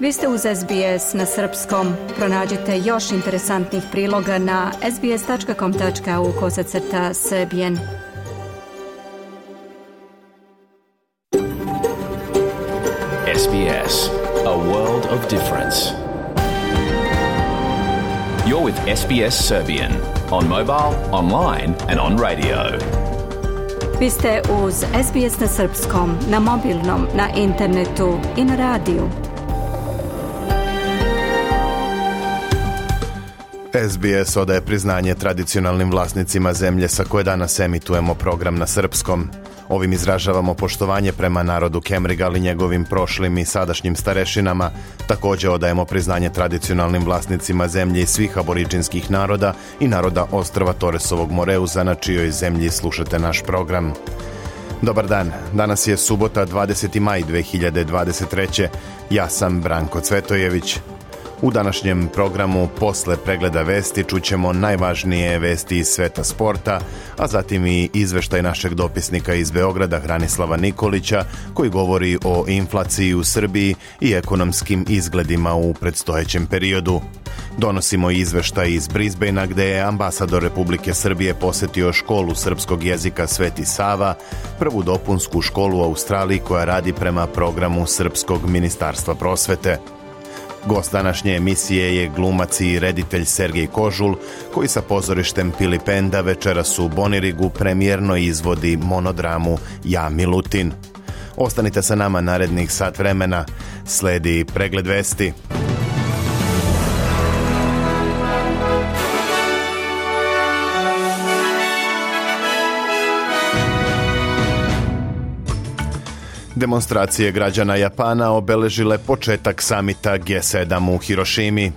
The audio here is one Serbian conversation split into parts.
Vi ste uz SBS na srpskom. Pronađite još interesantnih priloga na sbs.com.au/serbian. SBS, a world of difference. You're with SBS Serbian on mobile, online and on radio. Vi ste uz SBS na srpskom, na mobilnom, na internetu i na radiju. SBS odaje priznanje tradicionalnim vlasnicima zemlje sa koje danas emitujemo program na srpskom. Ovim izražavamo poštovanje prema narodu Kemrigal i njegovim prošlim i sadašnjim starešinama. Također odajemo priznanje tradicionalnim vlasnicima zemlje i svih aboriđinskih naroda i naroda ostrva Toresovog Moreuza, na čijoj zemlji slušate naš program. Dobar dan, danas je subota 20. maj 2023. Ja sam Branko Cvetojević. U današnjem programu posle pregleda vesti čućemo najvažnije vesti iz sveta sporta, a zatim i izveštaj našeg dopisnika iz Beograda Hranislava Nikolića koji govori o inflaciji u Srbiji i ekonomskim izgledima u predstojećem periodu. Donosimo izveštaj iz Brisbanea gde je ambasador Republike Srbije posetio školu srpskog jezika Sveti Sava, prvu dopunsku školu u Australiji koja radi prema programu Srpskog ministarstva prosvete. Gost današnje emisije je glumac i reditelj Sergej Kožul, koji sa pozorištem Pilipenda večeras u Bonirigu premijerno izvodi monodramu Ja Milutin. Ostanite sa nama narednih sat vremena. Sledi pregled vesti. Demonstracije građana Japana obeležile početak samita G7 u Hirošimi.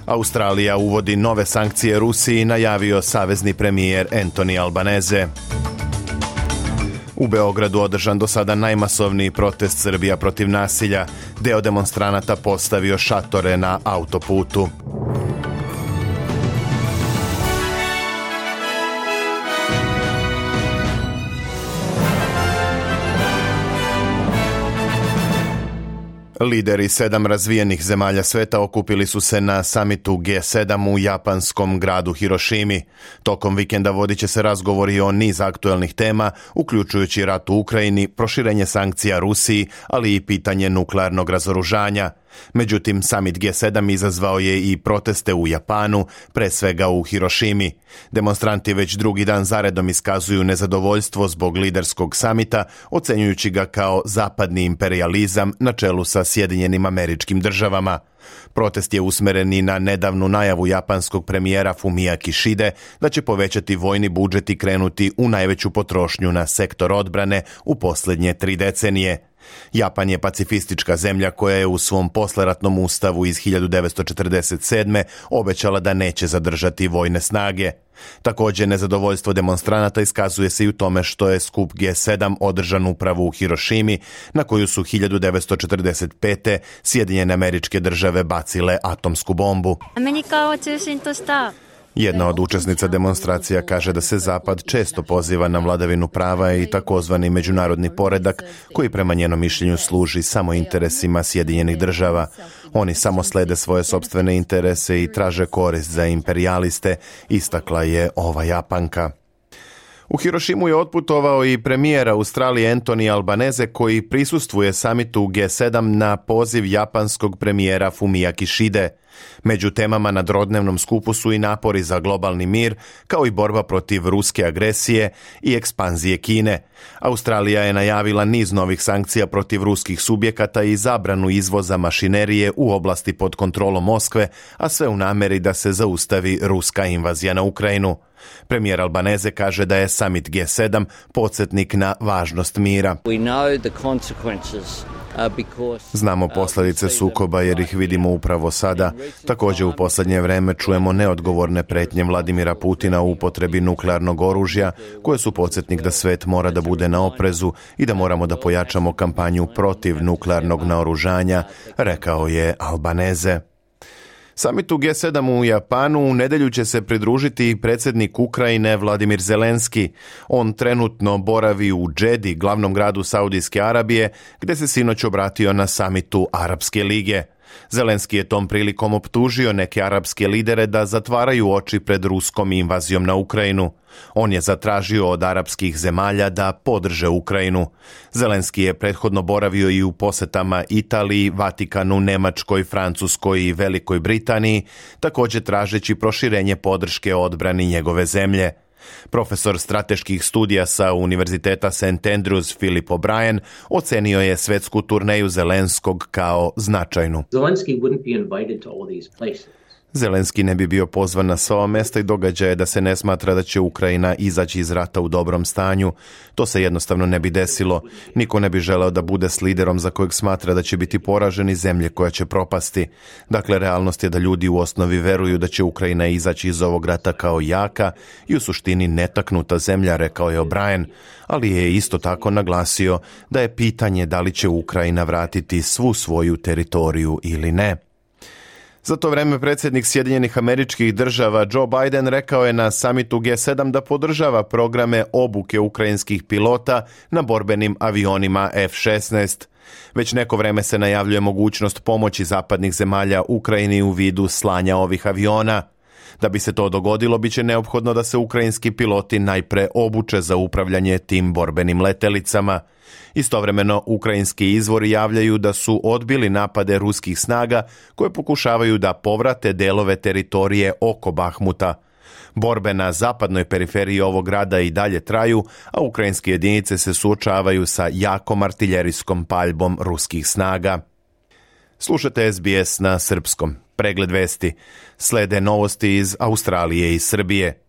Australija uvodi nove sankcije Rusiji, najavio savezni premijer Anthony Albanese. U Beogradu održan do sada najmasovniji protest Srbija protiv nasilja. Deo demonstranata postavio šatore na autoputu. Lideri 7 razvijenih zemalja sveta okupili su se na samitu G7 u japanskom gradu Hirošimi. Tokom vikenda vodit će se razgovori o niz aktuelnih tema, uključujući rat u Ukrajini, proširenje sankcija Rusiji, ali i pitanje nuklearnog razoružanja. Međutim, samit G7 izazvao je i proteste u Japanu, pre svega u Hirošimi. Demonstranti već drugi dan zaredom iskazuju nezadovoljstvo zbog liderskog samita, ocenjujući ga kao zapadni imperijalizam na čelu sa Sjedinjenim Američkim Državama. Protest je usmeren i na nedavnu najavu japanskog premijera Fumia Kishide da će povećati vojni budžet i krenuti u najveću potrošnju na sektor odbrane u posljednje 3 decenije. Japan je pacifistička zemlja koja je u svom posleratnom ustavu iz 1947. obećala da neće zadržati vojne snage. Također, nezadovoljstvo demonstranata iskazuje se i u tome što je skup G7 održan upravo u Hirošimi, na koju su 1945. Sjedinjene Američke Države bacile atomsku bombu. Jedna od učesnica demonstracija kaže da se Zapad često poziva na vladavinu prava i takozvani međunarodni poredak koji prema njenom mišljenju služi samo interesima Sjedinjenih Država. Oni samo slede svoje sopstvene interese i traže korist za imperijaliste, istakla je ova Japanka. U Hirošimu je otputovao i premijer Australije Anthony Albanese koji prisustvuje samitu G7 na poziv japanskog premijera Fumia Kishide. Među temama na trodnevnom skupu su i napori za globalni mir, kao i borba protiv ruske agresije i ekspanzije Kine. Australija je najavila niz novih sankcija protiv ruskih subjekata i zabranu izvoza mašinerije u oblasti pod kontrolom Moskve, a sve u nameri da se zaustavi ruska invazija na Ukrajinu. Premijer Albanese kaže da je summit G7 podsjetnik na važnost mira. Znamo posljedice sukoba jer ih vidimo upravo sada. Također u posljednje vrijeme čujemo neodgovorne pretnje Vladimira Putina u upotrebi nuklearnog oružja, koje su podsjetnik da svet mora da bude na oprezu i da moramo da pojačamo kampanju protiv nuklearnog naoružanja, rekao je Albanese. Samitu G7 u Japanu u nedjelju će se pridružiti predsjednik Ukrajine Vladimir Zelenski. On trenutno boravi u Džedi, glavnom gradu Saudijske Arabije, gdje se sinoć obratio na samitu Arapske lige. Zelenski je tom prilikom optužio neke arapske lidere da zatvaraju oči pred ruskom invazijom na Ukrajinu. On je zatražio od arapskih zemalja da podrže Ukrajinu. Zelenski je prethodno boravio i u posjetama Italiji, Vatikanu, Njemačkoj, Francuskoj i Velikoj Britaniji, također tražeći proširenje podrške odbrani njegove zemlje. Profesor strateških studija sa Univerziteta St. Andrews Philip O'Brien ocenio je svetsku turneju Zelenskog kao značajnu. Zelenski ne bi bio pozvan na sva mjesta i događaje da se ne smatra da će Ukrajina izaći iz rata u dobrom stanju. To se jednostavno ne bi desilo. Niko ne bi želeo da bude s liderom za kojeg smatra da će biti poraženi zemlje koja će propasti. Dakle, realnost je da ljudi u osnovi veruju da će Ukrajina izaći iz ovog rata kao jaka i u suštini netaknuta zemlja, rekao je O'Brien, ali je isto tako naglasio da je pitanje da li će Ukrajina vratiti svu svoju teritoriju ili ne. Za to vreme predsjednik Sjedinjenih Američkih Država Joe Biden rekao je na samitu G7 da podržava programe obuke ukrajinskih pilota na borbenim avionima F-16. Već neko vreme se najavljuje mogućnost pomoći zapadnih zemalja Ukrajini u vidu slanja ovih aviona. Da bi se to dogodilo, bit će neophodno da se ukrajinski piloti najpre obuče za upravljanje tim borbenim letelicama. Istovremeno, ukrajinski izvori javljaju da su odbili napade ruskih snaga koje pokušavaju da povrate delove teritorije oko Bahmuta. Borbe na zapadnoj periferiji ovog grada i dalje traju, a ukrajinske jedinice se suočavaju sa jakom artiljerijskom paljbom ruskih snaga. Slušate SBS na srpskom. Pregled vesti. Slede novosti iz Australije i Srbije.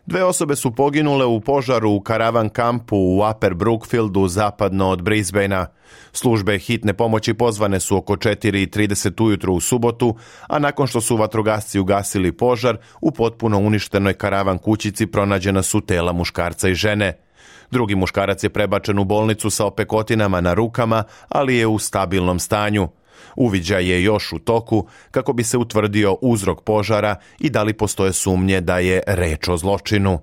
2 osobe su poginule u požaru u karavan kampu u Upper Brookfieldu zapadno od Brisbanea. Službe hitne pomoći pozvane su oko 4:30 ujutro u subotu, a nakon što su vatrogasci ugasili požar, u potpuno uništenoj karavan kućici pronađena su tela muškarca i žene. Drugi muškarac je prebačen u bolnicu sa opekotinama na rukama, ali je u stabilnom stanju. Uviđaj je još u toku kako bi se utvrdio uzrok požara i da li postoje sumnje da je reč o zločinu.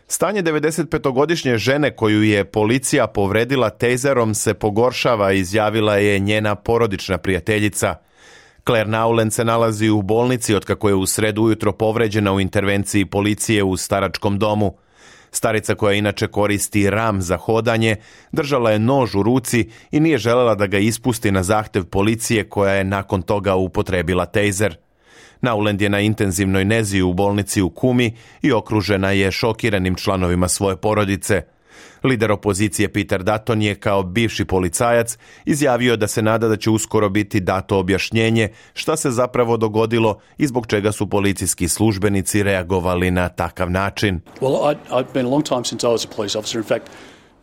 Stanje 95-godišnje žene koju je policija povredila tejzerom se pogoršava, izjavila je njena porodična prijateljica. Claire Nowland se nalazi u bolnici otkako je u sredu ujutro povređena u intervenciji policije u staračkom domu. Starica, koja inače koristi ram za hodanje, držala je nož u ruci i nije želela da ga ispusti na zahtev policije, koja je nakon toga upotrebila tejzer. Nowland je na intenzivnoj nezi u bolnici u Kumi i okružena je šokiranim članovima svoje porodice. Lider opozicije Peter Dutton je kao bivši policajac izjavio da se nada da će uskoro biti dato objašnjenje šta se zapravo dogodilo i zbog čega su policijski službenici reagovali na takav način.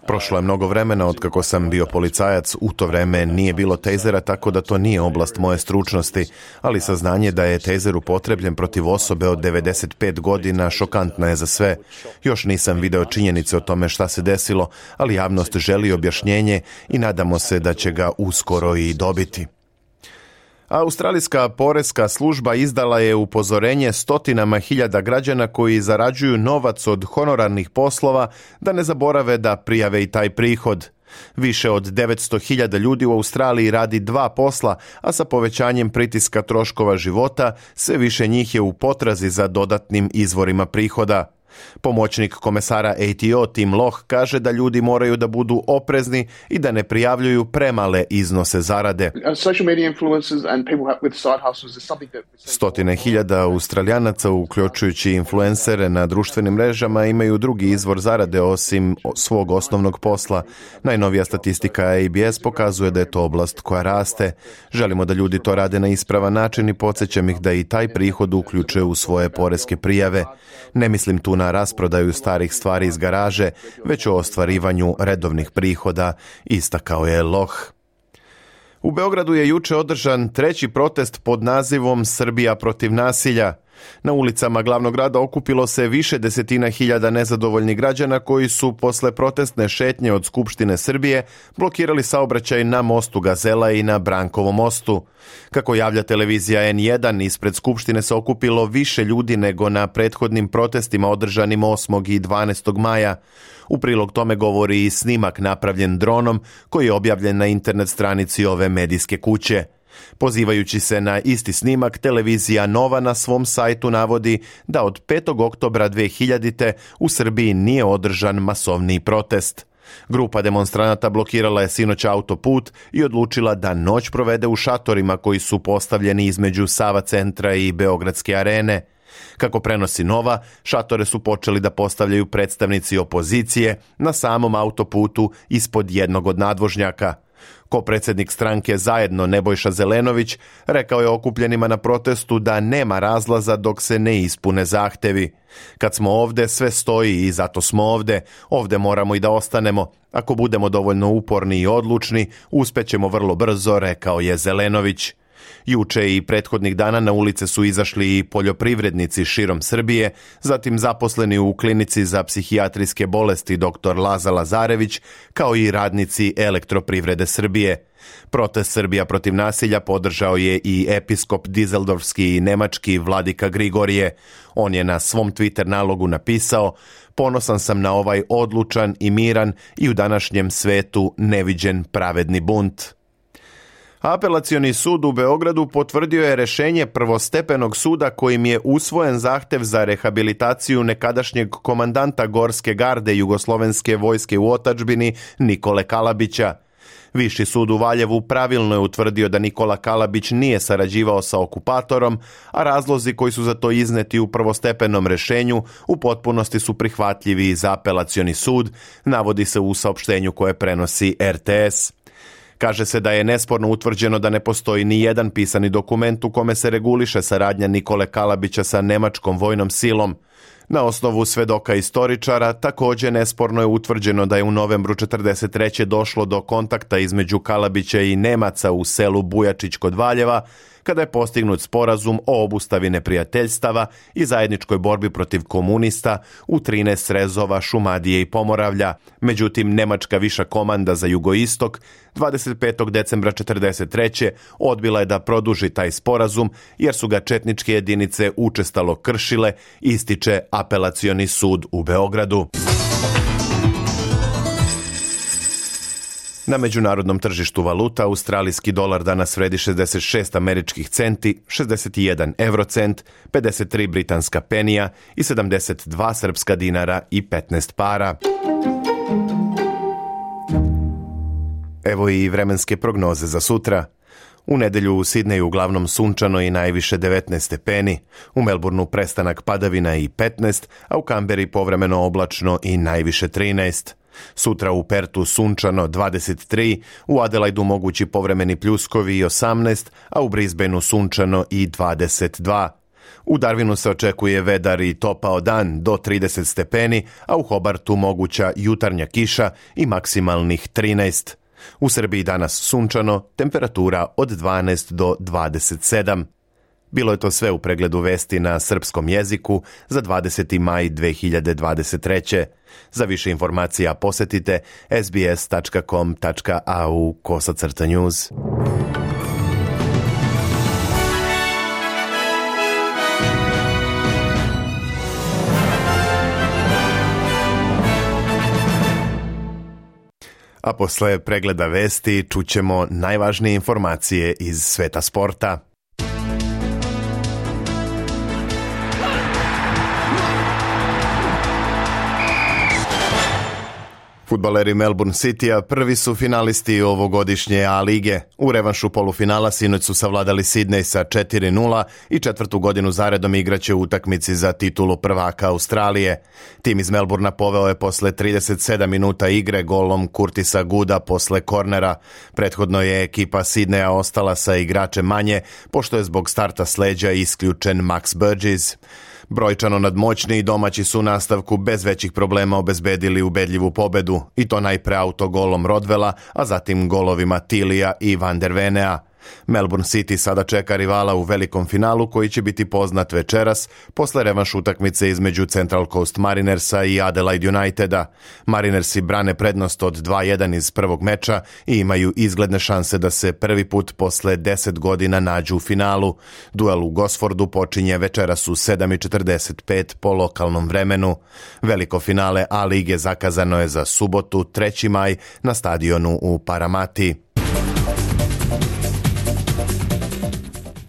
Prošlo je mnogo vremena od kako sam bio policajac, u to vreme nije bilo tejzera, tako da to nije oblast moje stručnosti, ali saznanje da je tejzer upotrebljen protiv osobe od 95 godina šokantno je za sve. Još nisam video činjenice o tome šta se desilo, ali javnost želi objašnjenje i nadamo se da će ga uskoro i dobiti. Australijska poreska služba izdala je upozorenje stotinama hiljada građana koji zarađuju novac od honorarnih poslova da ne zaborave da prijave i taj prihod. Više od 900.000 ljudi u Australiji radi 2 posla, a sa povećanjem pritiska troškova života sve više njih je u potrazi za dodatnim izvorima prihoda. Pomoćnik komesara ATO Tim Loh kaže da ljudi moraju da budu oprezni i da ne prijavljuju premale iznose zarade. Stotine hiljada Australijanaca, uključujući influencere na društvenim mrežama, imaju drugi izvor zarade osim svog osnovnog posla. Najnovija statistika ABS pokazuje da je to oblast koja raste. Želimo da ljudi to rade na ispravan način i podsjećam ih da i taj prihod uključuje u svoje poreske prijave. Ne mislim tu na rasprodaju starih stvari iz garaže, već o ostvarivanju redovnih prihoda, istakao je Loh. U Beogradu je juče održan 3. protest pod nazivom Srbija protiv nasilja. Na ulicama glavnog grada okupilo se više desetina hiljada nezadovoljnih građana koji su posle protestne šetnje od Skupštine Srbije blokirali saobraćaj na mostu Gazela i na Brankovom mostu. Kako javlja televizija N1, ispred Skupštine se okupilo više ljudi nego na prethodnim protestima održanim 8. i 12. maja. U prilog tome govori i snimak napravljen dronom koji je objavljen na internet stranici ove medijske kuće. Pozivajući se na isti snimak, televizija Nova na svom sajtu navodi da od 5. oktobra 2000. u Srbiji nije održan masovni protest. Grupa demonstranata blokirala je sinoć autoput i odlučila da noć provede u šatorima koji su postavljeni između Sava centra i Beogradske arene. Kako prenosi Nova, šatore su počeli da postavljaju predstavnici opozicije na samom autoputu ispod jednog od nadvožnjaka. Ko-predsjednik stranke Zajedno Nebojša Zelenović rekao je okupljenima na protestu da nema razlaza dok se ne ispune zahtevi. Kad smo ovde, sve stoji i zato smo ovde. Ovde moramo i da ostanemo. Ako budemo dovoljno uporni i odlučni, uspećemo vrlo brzo, rekao je Zelenović. Juče i prethodnih dana na ulice su izašli i poljoprivrednici širom Srbije, zatim zaposleni u klinici za psihijatrijske bolesti dr. Laza Lazarević, kao i radnici Elektroprivrede Srbije. Protest Srbija protiv nasilja podržao je i episkop dizeldorfski i nemački Vladika Grigorije. On je na svom Twitter nalogu napisao: "Ponosan sam na ovaj odlučan i miran i u današnjem svetu neviđen pravedni bunt." Apelacioni sud u Beogradu potvrdio je rešenje prvostepenog suda kojim je usvojen zahtev za rehabilitaciju nekadašnjeg komandanta Gorske garde Jugoslovenske vojske u otadžbini Nikole Kalabića. Viši sud u Valjevu pravilno je utvrdio da Nikola Kalabić nije sarađivao sa okupatorom, a razlozi koji su za to izneti u prvostepenom rešenju u potpunosti su prihvatljivi za apelacioni sud, navodi se u saopštenju koje prenosi RTS. Kaže se da je nesporno utvrđeno da ne postoji ni jedan pisani dokument u kome se reguliše saradnja Nikole Kalabića sa nemačkom vojnom silom. Na osnovu svedoka istoričara također nesporno je utvrđeno da je u novembru 1943. došlo do kontakta između Kalabića i Nemaca u selu Bujačić kod Valjeva, kada je postignut sporazum o obustavi neprijateljstava i zajedničkoj borbi protiv komunista u 13 srezova Šumadije i Pomoravlja. Međutim, nemačka viša komanda za jugoistok 25. decembra 1943. odbila je da produži taj sporazum jer su ga četničke jedinice učestalo kršile, ističe apelacioni sud u Beogradu. Na međunarodnom tržištu valuta australijski dolar danas vredi 66 američkih centi, 61 eurocent, 53 britanska penija i 72 srpska dinara i 15 para. Evo i vremenske prognoze za sutra. U nedelju u Sidneju uglavnom sunčano i najviše 19 stepeni, u Melbourneu prestanak padavina i 15, a u Kamberi povremeno oblačno i najviše 13. Sutra u Pertu sunčano 23, u Adelaidu mogući povremeni pljuskovi i 18, a u Brisbaneu sunčano i 22. U Darwinu se očekuje vedar i topao dan do 30 stepeni, a u Hobartu moguća jutarnja kiša i maksimalnih 13. U Srbiji danas sunčano, temperatura od 12 do 27. Bilo je to sve u pregledu vesti na srpskom jeziku za 20. maj 2023. Za više informacija posetite sbs.com.au/news. A posle pregleda vesti čućemo najvažnije informacije iz sveta sporta. Fudbaleri Melbourne Citya prvi su finalisti ovogodišnje A lige. U revanšu polufinala sinoć su savladali Sidney sa 4-0 i četvrtu godinu zaredom igraće u utakmici za titulu prvaka Australije. Tim iz Melbournea poveo je posle 37 minuta igre golom Curtisa Gooda posle kornera. Prethodno je ekipa Sidneya ostala sa igračem manje, pošto je zbog starta s leđa isključen Max Burgess. Brojčano nadmoćni domaći su u nastavku bez većih problema obezbedili ubedljivu pobedu, i to najpre autogolom Rodwella, a zatim golovima Tilija i Van der Venea. Melbourne City sada čeka rivala u velikom finalu koji će biti poznat večeras posle revanš utakmice između Central Coast Marinersa i Adelaide Uniteda. Marinersi brane prednost od 2-1 iz prvog meča i imaju izgledne šanse da se prvi put posle 10 godina nađu u finalu. Duel u Gosfordu počinje večeras u 7:45 po lokalnom vremenu. Veliko finale A lige zakazano je za subotu 3. maj na stadionu u Paramati.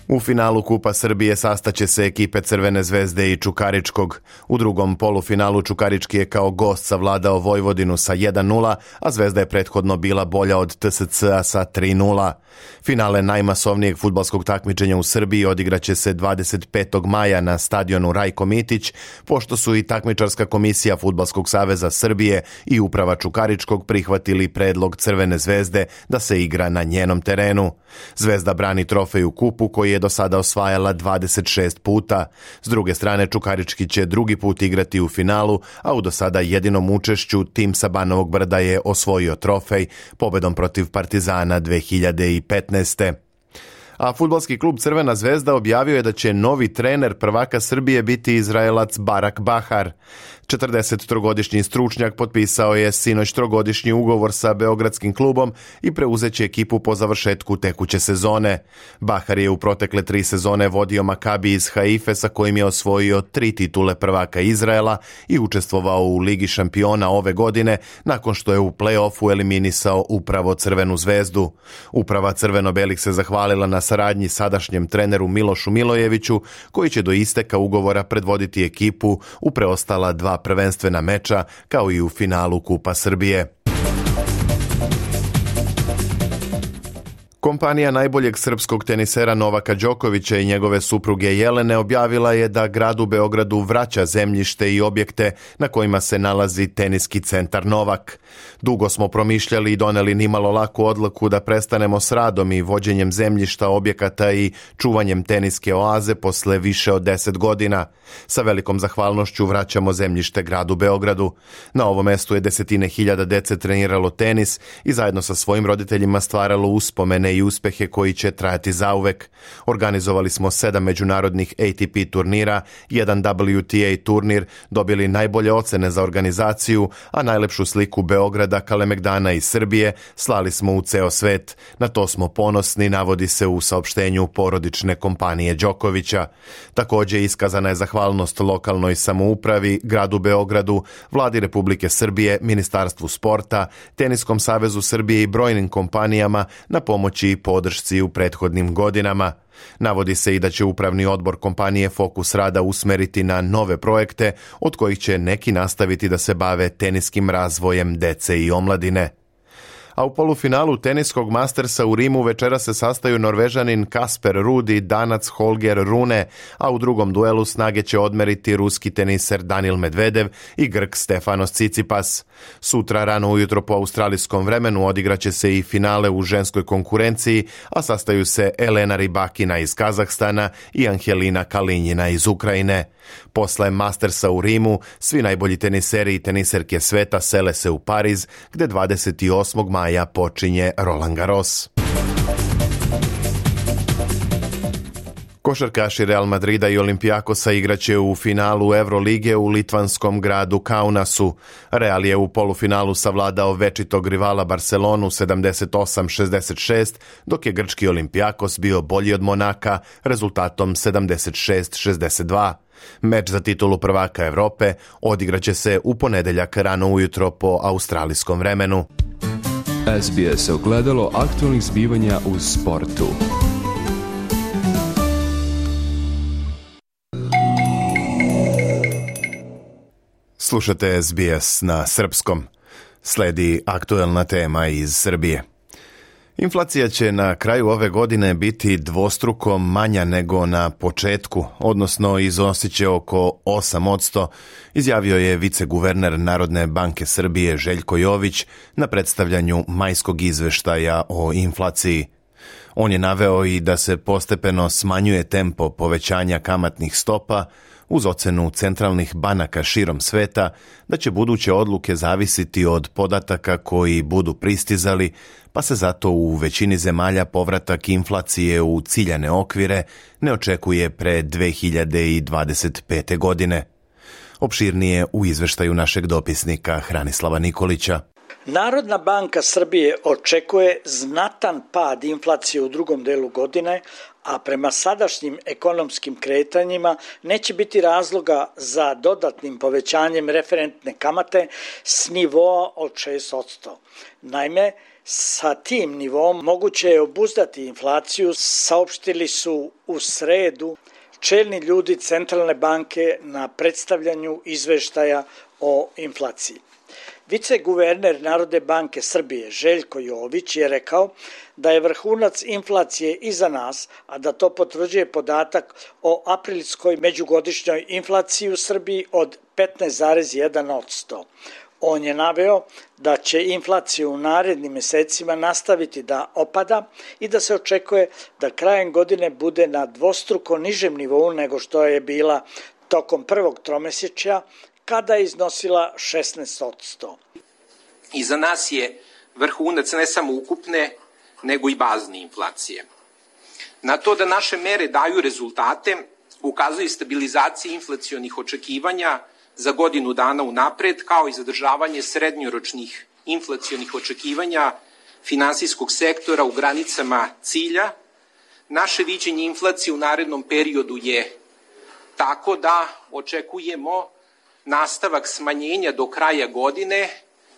U finalu Kupa Srbije sastaće se ekipe Crvene zvezde i Čukaričkog. U drugom polufinalu Čukarički je kao gost savladao Vojvodinu sa 1:0, a Zvezda je prethodno bila bolja od TSC-a sa 3:0. Finale najmasovnijeg fudbalskog takmičenja u Srbiji odigraće se 25. maja na stadionu Rajko Mitić, pošto su i takmičarska komisija Fudbalskog saveza Srbije i uprava Čukaričkog prihvatili predlog Crvene zvezde da se igra na njenom terenu. Zvezda brani trofej u kupu koji je do sada osvajala 26 puta. S druge strane, Čukarički će drugi put igrati u finalu, a u do sada jedinom učešću tim sa Banovog Brda je osvojio trofej pobedom protiv Partizana 2015. A fudbalski klub Crvena zvezda objavio je da će novi trener prvaka Srbije biti Izraelac Barak Bahar. 43-godišnji stručnjak potpisao je sinoć 3-godišnji ugovor sa beogradskim klubom i preuzeće ekipu po završetku tekuće sezone. Bahar je u protekle 3 sezone vodio Makabi iz Haife sa kojim je osvojio 3 titule prvaka Izraela i učestvovao u Ligi šampiona ove godine nakon što je u play-offu eliminisao upravo Crvenu zvezdu. Uprava crveno-belih se zahvalila na saradnji sadašnjem treneru Milošu Milojeviću, koji će do isteka ugovora predvoditi ekipu u preostala 2 prvenstvena meča, kao i u finalu Kupa Srbije. Kompanija najboljeg srpskog tenisera Novaka Đokovića i njegove supruge Jelene objavila je da gradu Beogradu vraća zemljište i objekte na kojima se nalazi teniski centar Novak. Dugo smo promišljali i doneli nimalo laku odluku da prestanemo s radom i vođenjem zemljišta, objekata i čuvanjem teniske oaze posle više od 10 godina. Sa velikom zahvalnošću vraćamo zemljište gradu Beogradu. Na ovom mestu je desetine hiljada dece treniralo tenis i zajedno sa svojim roditeljima stvaralo uspomene i uspehe koji će trajati zauvek. Organizovali smo 7 međunarodnih ATP turnira, 1 WTA turnir, dobili najbolje ocene za organizaciju, a najlepšu sliku Beograda, Kalemegdana i Srbije slali smo u ceo svet. Na to smo ponosni, navodi se u saopštenju porodične kompanije Đokovića. Također iskazana je zahvalnost lokalnoj samoupravi, gradu Beogradu, Vladi Republike Srbije, Ministarstvu sporta, Teniskom savezu Srbije i brojnim kompanijama na pomoći i podršci u prethodnim godinama. Navodi se i da će upravni odbor kompanije fokus rada usmeriti na nove projekte, od kojih će neki nastaviti da se bave teniskim razvojem dece i omladine. A u polufinalu teniskog Mastersa u Rimu večera se sastaju Norvežanin Kasper Ruud i Danac Holger Rune, a u drugom duelu snage će odmeriti ruski teniser Danil Medvedev i Grk Stefanos Tsitsipas. Sutra rano ujutro po australijskom vremenu odigraće se i finale u ženskoj konkurenciji, a sastaju se Elena Rybakina iz Kazahstana i Angelina Kalinjina iz Ukrajine. Posle Mastersa u Rimu, svi najbolji teniseri i teniserke sveta sele se u Pariz, gde 28. maja počinje Roland Garros. Košarkaši Real Madrida i Olimpijakosa igraće u finalu Evrolige u litvanskom gradu Kaunasu. Real je u polufinalu savladao večitog rivala Barcelonu 78-66, dok je grčki Olimpijakos bio bolji od Monaka rezultatom 76-62. Meč za titulu prvaka Evrope odigraće se u ponedeljak rano ujutro po australijskom vremenu. SBS ogledalo aktualnih zbivanja u sportu. Slušate SBS na srpskom. Sledi aktuelna tema iz Srbije. Inflacija će na kraju ove godine biti dvostruko manja nego na početku, odnosno iznosit će oko 8%, izjavio je viceguverner Narodne banke Srbije Željko Jović na predstavljanju majskog izveštaja o inflaciji. On je naveo i da se postepeno smanjuje tempo povećanja kamatnih stopa, uz ocenu centralnih banaka širom sveta da će buduće odluke zavisiti od podataka koji budu pristizali, pa se zato u većini zemalja povratak inflacije u ciljane okvire ne očekuje pre 2025. godine. Opširnije u izveštaju našeg dopisnika Hranislava Nikolića. Narodna banka Srbije očekuje znatan pad inflacije u drugom delu godine, a prema sadašnjim ekonomskim kretanjima neće biti razloga za dodatnim povećanjem referentne kamate s nivoa od 6%. Naime, sa tim nivom moguće je obuzdati inflaciju, saopštili su u sredu čelni ljudi Centralne banke na predstavljanju izveštaja o inflaciji. Viceguverner Narodne banke Srbije Željko Jović je rekao da je vrhunac inflacije iza nas, a da to potvrđuje podatak o aprilskoj međugodišnjoj inflaciji u Srbiji od 15,1%. On je naveo da će inflacija u narednim mesecima nastaviti da opada i da se očekuje da krajem godine bude na dvostruko nižem nivou nego što je bila tokom prvog tromesečja, kada je iznosila 16%. Iza nas je vrhunac ne samo ukupne, nego i bazne inflacije. Na to da naše mere daju rezultate, ukazuje stabilizacija inflacionih očekivanja za godinu dana unapred, kao i zadržavanje srednjoročnih inflacionih očekivanja finansijskog sektora u granicama cilja. Naše viđenje inflacije u narednom periodu je tako da očekujemo nastavak smanjenja do kraja godine,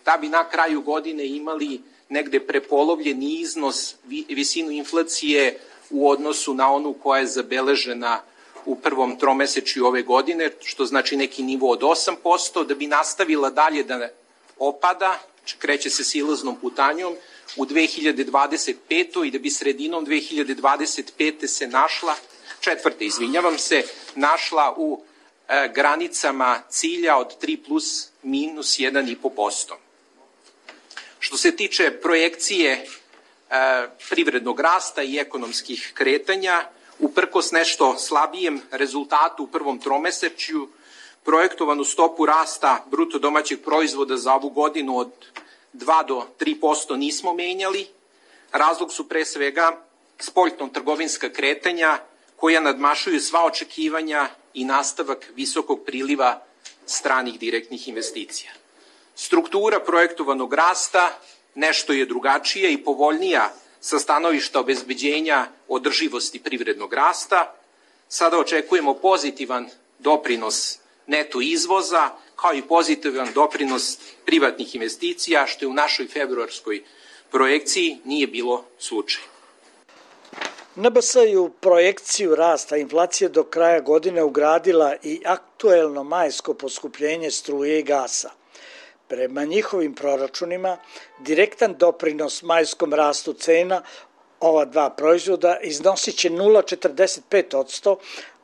da bi na kraju godine imali negde prepolovljeni iznos, visinu inflacije u odnosu na onu koja je zabeležena u prvom tromesečju ove godine, što znači neki nivo od 8%, da bi nastavila dalje da opada, kreće se silaznom putanjom u 2025. i da bi sredinom 2025. se našla u granicama cilja od 3 plus minus 1,5%. Što se tiče projekcije privrednog rasta i ekonomskih kretanja, uprkos nešto slabijem rezultatu u prvom tromesečju, projektovanu stopu rasta bruto domaćeg proizvoda za ovu godinu od 2 do 3% nismo menjali. Razlog su pre svega spoljno-trgovinska kretanja koja nadmašuju sva očekivanja i nastavak visokog priliva stranih direktnih investicija. Struktura projektovanog rasta nešto je drugačija i povoljnija sa stanovišta obezbeđenja održivosti privrednog rasta. Sada očekujemo pozitivan doprinos neto izvoza, kao i pozitivan doprinos privatnih investicija, što je u našoj februarskoj projekciji nije bilo slučaj. NBS je u projekciju rasta inflacije do kraja godine ugradila i aktuelno majsko poskupljenje struje i gasa. Prema njihovim proračunima, direktan doprinos majskom rastu cena ova dva proizvoda iznosit će 0,45%,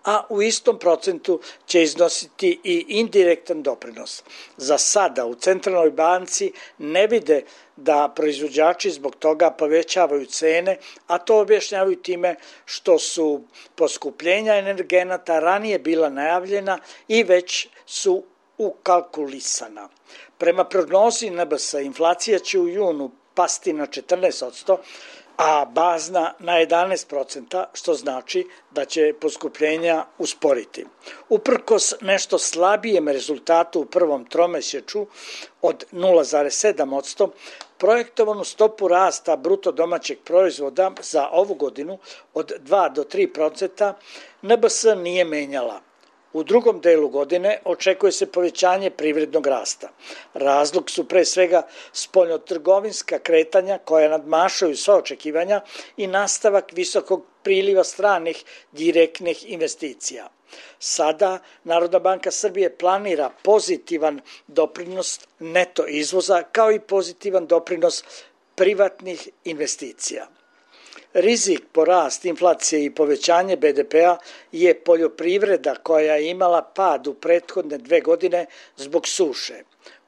a u istom procentu će iznositi i indirektan doprinos. Za sada u Centralnoj banci ne vide da proizvođači zbog toga povećavaju cene, a to objašnjavaju time što su poskupljenja energenata ranije bila najavljena i već su ukalkulisana. Prema prognozi NBS, inflacija će u junu pasti na 14%, a bazna na 11%, što znači da će poskupljenja usporiti. Uprkos nešto slabijem rezultatu u prvom tromesečju od 0,7%, projektovanu stopu rasta bruto domaćeg proizvoda za ovu godinu od 2 do 3% NBS nije menjala. U drugom delu godine očekuje se povećanje privrednog rasta. Razlog su pre svega spoljnotrgovinska kretanja koja nadmašuju sva očekivanja i nastavak visokog priliva stranih direktnih investicija. Sada Narodna banka Srbije planira pozitivan doprinos neto izvoza kao i pozitivan doprinos privatnih investicija. Rizik po rast inflacije i povećanje BDP-a je poljoprivreda koja je imala pad u prethodne 2 godine zbog suše.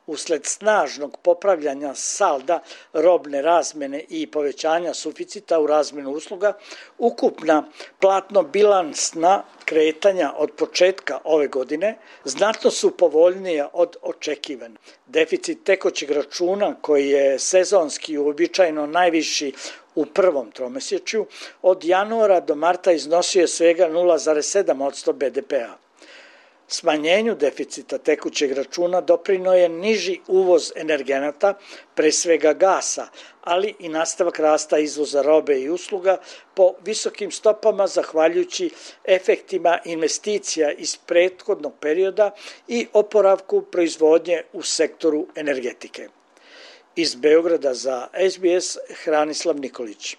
usled snažnog popravljanja salda robne razmene i povećanja suficita u razmenu usluga, ukupna platno-bilansna kretanja od početka ove godine znatno su povoljnija od očekivane. Deficit tekućeg računa, koji je sezonski uobičajeno najviši u prvom tromesečju, od januara do marta iznosio je svega 0,7% BDP-a. Smanjenju deficita tekućeg računa doprinio je niži uvoz energenata, pre svega gasa, ali i nastavak rasta izvoza robe i usluga po visokim stopama zahvaljujući efektima investicija iz prethodnog perioda i oporavku proizvodnje u sektoru energetike. Iz Beograda za SBS Hranislav Nikolić.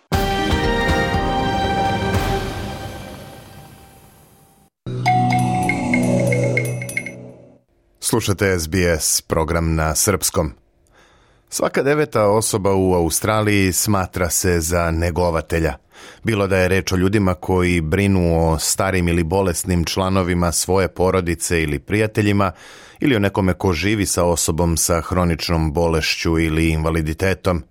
Slušate SBS, program na srpskom. Svaka 9. osoba u Australiji smatra se za negovatelja. Bilo da je reč o ljudima koji brinu o starim ili bolesnim članovima svoje porodice ili prijateljima, ili o nekome ko živi sa osobom sa hroničnom bolešću ili invaliditetom.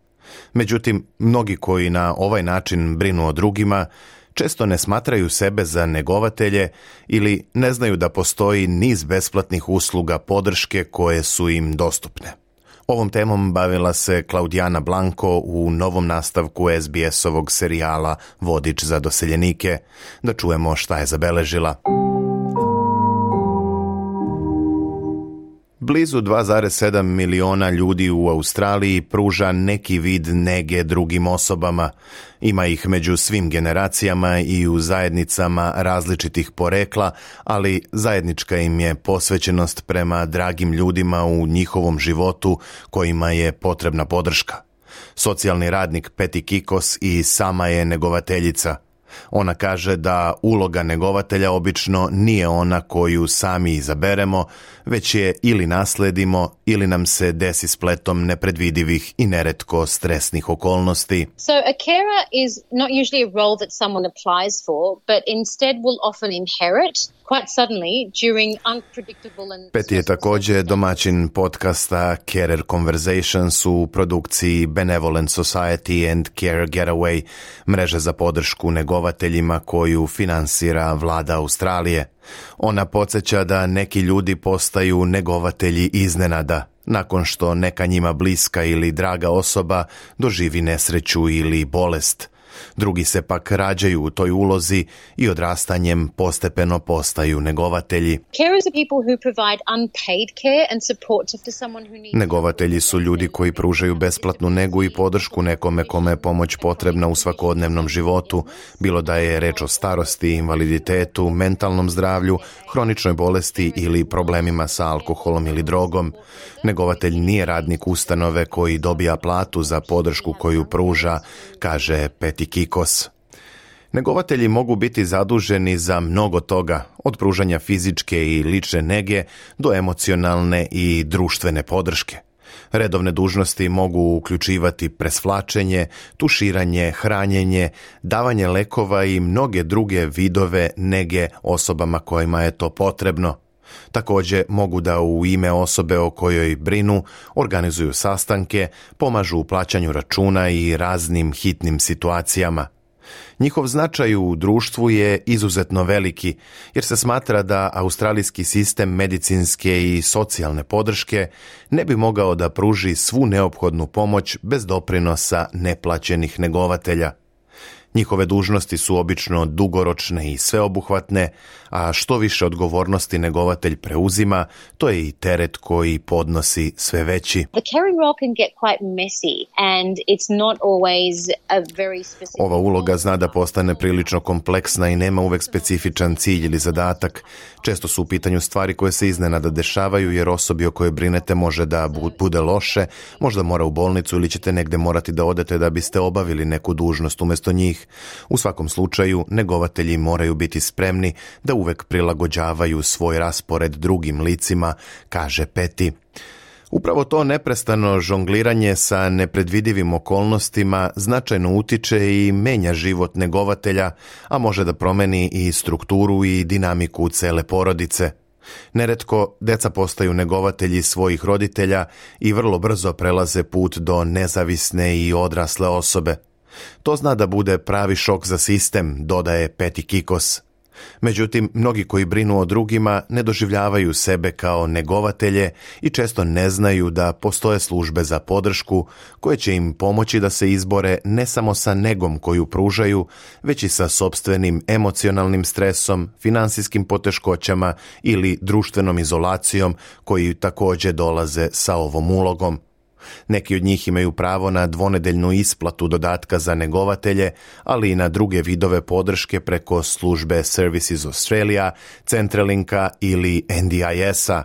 Međutim, mnogi koji na ovaj način brinu o drugima često ne smatraju sebe za negovatelje ili ne znaju da postoji niz besplatnih usluga podrške koje su im dostupne. Ovom temom bavila se Klaudijana Blanko u novom nastavku SBS-ovog serijala Vodič za doseljenike. Da čujemo šta je zabeležila. Blizu 2,7 miliona ljudi u Australiji pruža neki vid nege drugim osobama. Ima ih među svim generacijama i u zajednicama različitih porekla, ali zajednička im je posvećenost prema dragim ljudima u njihovom životu kojima je potrebna podrška. Socijalni radnik Peti Kikos i sama je negovateljica. Ona kaže da uloga negovatelja obično nije ona koju sami izaberemo, već je ili nasledimo ili nam se desi spletom nepredvidivih i neretko stresnih okolnosti. So a carer is not usually a role that someone applies for, but instead will often inherit quite suddenly during unpredictable and... Peti je također domaćin podcasta Carer Conversations u produkciji Benevolent Society and Care Getaway, mreže za podršku negovateljima koju finansira vlada Australije. Ona podsjeća da neki ljudi postaju negovatelji iznenada, nakon što neka njima bliska ili draga osoba doživi nesreću ili bolest. Drugi se pak rađaju u toj ulozi i odrastanjem postepeno postaju negovatelji. Negovatelji su ljudi koji pružaju besplatnu negu i podršku nekome kome je pomoć potrebna u svakodnevnom životu, bilo da je reč o starosti, invaliditetu, mentalnom zdravlju, hroničnoj bolesti ili problemima sa alkoholom ili drogom. Negovatelj nije radnik ustanove koji dobija platu za podršku koju pruža, kaže Peti Kikos. Negovatelji mogu biti zaduženi za mnogo toga, od pružanja fizičke i lične nege do emocionalne i društvene podrške. Redovne dužnosti mogu uključivati presvlačenje, tuširanje, hranjenje, davanje lekova i mnoge druge vidove nege osobama kojima je to potrebno. Također mogu da u ime osobe o kojoj brinu organizuju sastanke, pomažu u plaćanju računa i raznim hitnim situacijama. Njihov značaj u društvu je izuzetno veliki, jer se smatra da australijski sistem medicinske i socijalne podrške ne bi mogao da pruži svu neophodnu pomoć bez doprinosa neplaćenih negovatelja. Njihove dužnosti su obično dugoročne i sveobuhvatne, a što više odgovornosti negovatelj preuzima, to je i teret koji podnosi sve veći. Ova uloga zna da postane prilično kompleksna i nema uvek specifičan cilj ili zadatak. Često su u pitanju stvari koje se iznenada dešavaju, jer osobi o kojoj brinete može da bude loše, možda mora u bolnicu ili ćete negde morati da odete da biste obavili neku dužnost umjesto njih. U svakom slučaju, negovatelji moraju biti spremni da uvek prilagođavaju svoj raspored drugim licima, kaže Peti. Upravo to neprestano žongliranje sa nepredvidivim okolnostima značajno utiče i menja život negovatelja, a može da promeni i strukturu i dinamiku cele porodice. Neretko deca postaju negovatelji svojih roditelja i vrlo brzo prelaze put do nezavisne i odrasle osobe. To zna da bude pravi šok za sistem, dodaje Peti Kikos. Međutim, mnogi koji brinu o drugima ne doživljavaju sebe kao negovatelje i često ne znaju da postoje službe za podršku koje će im pomoći da se izbore ne samo sa negom koju pružaju, već i sa sopstvenim emocionalnim stresom, finansijskim poteškoćama ili društvenom izolacijom koji također dolaze sa ovom ulogom. Neki od njih imaju pravo na dvonedeljnu isplatu dodatka za negovatelje, ali i na druge vidove podrške preko službe Services Australia, Centralinka ili NDIS-a.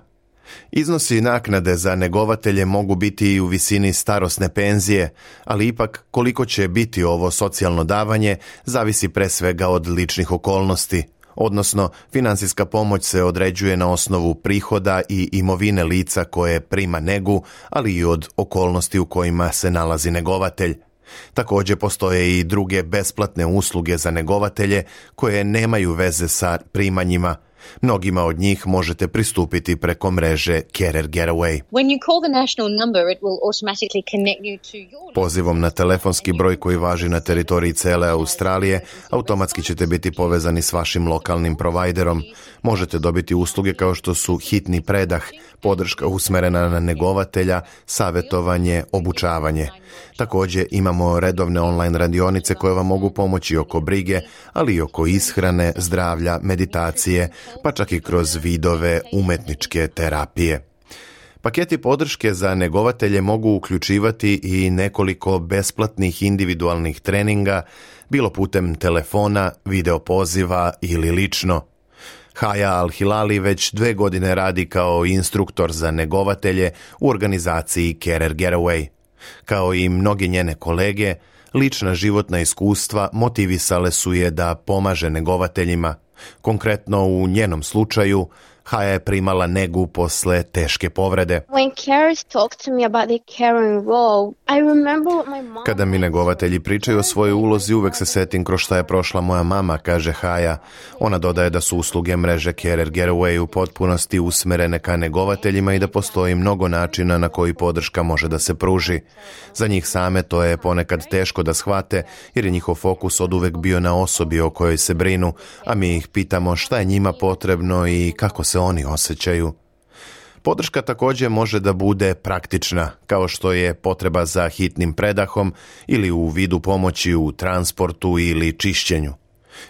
Iznosi naknade za negovatelje mogu biti i u visini starosne penzije, ali ipak koliko će biti ovo socijalno davanje zavisi pre svega od ličnih okolnosti. Odnosno, financijska pomoć se određuje na osnovu prihoda i imovine lica koje prima negu, ali i od okolnosti u kojima se nalazi negovatelj. Također postoje i druge besplatne usluge za negovatelje koje nemaju veze sa primanjima. Mnogima od njih možete pristupiti preko mreže Carer Getaway. Pozivom na telefonski broj koji važi na teritoriji cele Australije, automatski ćete biti povezani s vašim lokalnim provajderom. Možete dobiti usluge kao što su hitni predah, podrška usmerena na negovatelja, savjetovanje, obučavanje. Također imamo redovne online radionice koje vam mogu pomoći oko brige, ali i oko ishrane, zdravlja, meditacije, pa čak i kroz vidove umetničke terapije. Paketi podrške za negovatelje mogu uključivati i nekoliko besplatnih individualnih treninga, bilo putem telefona, video poziva ili lično. Haya Al-Hilali već 2 godine radi kao instruktor za negovatelje u organizaciji Carer Getaway. Kao i mnogi njene kolege, lična životna iskustva motivisale su je da pomaže negovateljima. Konkretno u njenom slučaju, Haya je primala negu posle teške povrede. Kada mi negovatelji pričaju o svojoj ulozi, uvek se setim kroz šta je prošla moja mama, kaže Haya. Ona dodaje da su usluge mreže Carer Getaway u potpunosti usmerene ka negovateljima i da postoji mnogo načina na koji podrška može da se pruži. Za njih same to je ponekad teško da shvate, jer je njihov fokus oduvek bio na osobi o kojoj se brinu, a mi ih pitamo šta je njima potrebno i kako se oni osjećaju. Podrška također može da bude praktična, kao što je potreba za hitnim predahom ili u vidu pomoći u transportu ili čišćenju.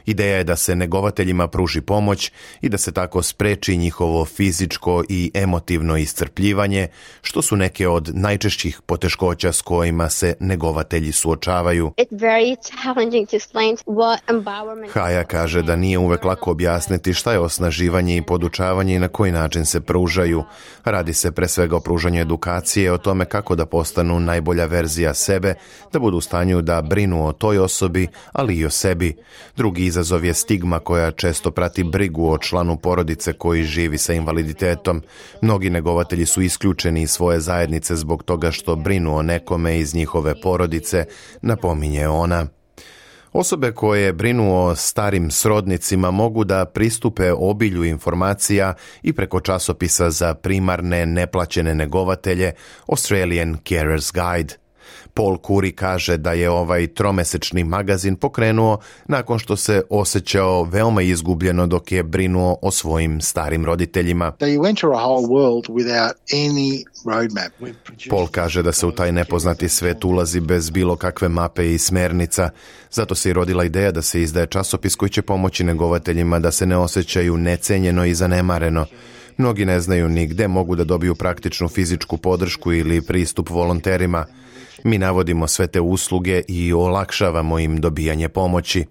Ideja je da se negovateljima pruži pomoć i da se tako spreči njihovo fizičko i emotivno iscrpljivanje, što su neke od najčešćih poteškoća s kojima se negovatelji suočavaju. Haya kaže da nije uvek lako objasniti šta je osnaživanje i podučavanje i na koji način se pružaju. Radi se pre svega o pružanju edukacije, o tome kako da postanu najbolja verzija sebe, da budu u stanju da brinu o toj osobi, ali i o sebi. Drugi izazov je stigma koja često prati brigu o članu porodice koji živi sa invaliditetom. Mnogi negovatelji su isključeni iz svoje zajednice zbog toga što brinu o nekome iz njihove porodice, napominje ona. Osobe koje brinu o starim srodnicima mogu da pristupe obilju informacija i preko časopisa za primarne neplaćene negovatelje Australian Carers Guide. Paul Curry kaže da je ovaj tromesečni magazin pokrenuo nakon što se osjećao veoma izgubljeno dok je brinuo o svojim starim roditeljima. Paul kaže da se u taj nepoznati svet ulazi bez bilo kakve mape i smernica. Zato se i rodila ideja da se izdaje časopis koji će pomoći negovateljima da se ne osjećaju necenjeno i zanemareno. Mnogi ne znaju ni gde mogu da dobiju praktičnu fizičku podršku ili pristup volonterima. Mi navodimo sve te usluge i olakšavamo im dobijanje pomoći.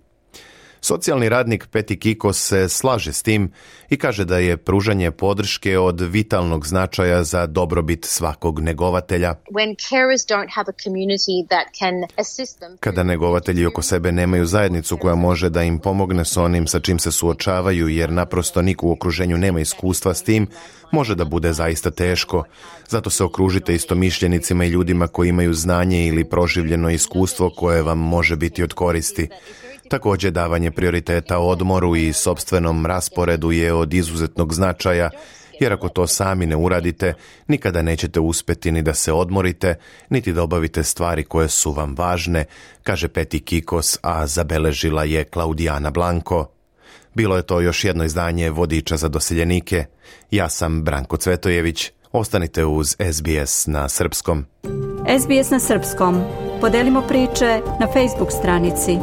Socijalni radnik Peti Kikos se slaže s tim i kaže da je pružanje podrške od vitalnog značaja za dobrobit svakog negovatelja. Kada negovatelji oko sebe nemaju zajednicu koja može da im pomogne s onim sa čim se suočavaju, jer naprosto niko u okruženju nema iskustva s tim, može da bude zaista teško. Zato se okružite istomišljenicima i ljudima koji imaju znanje ili proživljeno iskustvo koje vam može biti od koristi. Također, davanje prioriteta odmoru i sopstvenom rasporedu je od izuzetnog značaja, jer ako to sami ne uradite, nikada nećete uspjeti ni da se odmorite, niti da obavite stvari koje su vam važne, kaže Peti Kikos, a zabeležila je Klaudijana Blanko. Bilo je to još jedno izdanje Vodiča za doseljenike. Ja sam Branko Cvetojević. Ostanite uz SBS na srpskom. SBS na srpskom. Podelimo priče na Facebook stranici.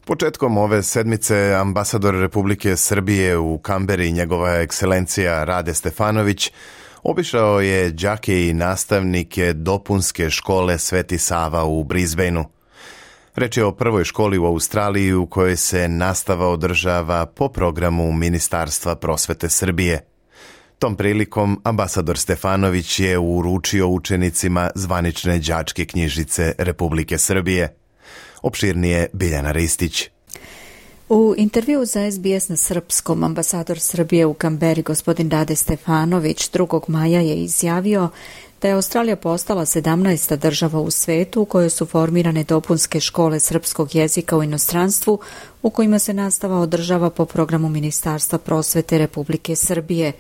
Početkom ove sedmice ambasador Republike Srbije u Kamberi, njegova ekscelencija Rade Stefanović, obišao je đake i nastavnike dopunske škole Sveti Sava u Brisbaneu. Reč je o prvoj školi u Australiji u kojoj se nastava održava po programu Ministarstva prosvete Srbije. Tom prilikom ambasador Stefanović je uručio učenicima zvanične đačke knjižice Republike Srbije. Opširnije Biljana Ristić. U intervju za SBS na srpskom ambasador Srbije u Kamberi gospodin Rade Stefanović 2. maja je izjavio da je Australija postala 17. država u svetu u kojoj su formirane dopunske škole srpskog jezika u inostranstvu u kojima se nastava održava po programu Ministarstva prosvete Republike Srbije.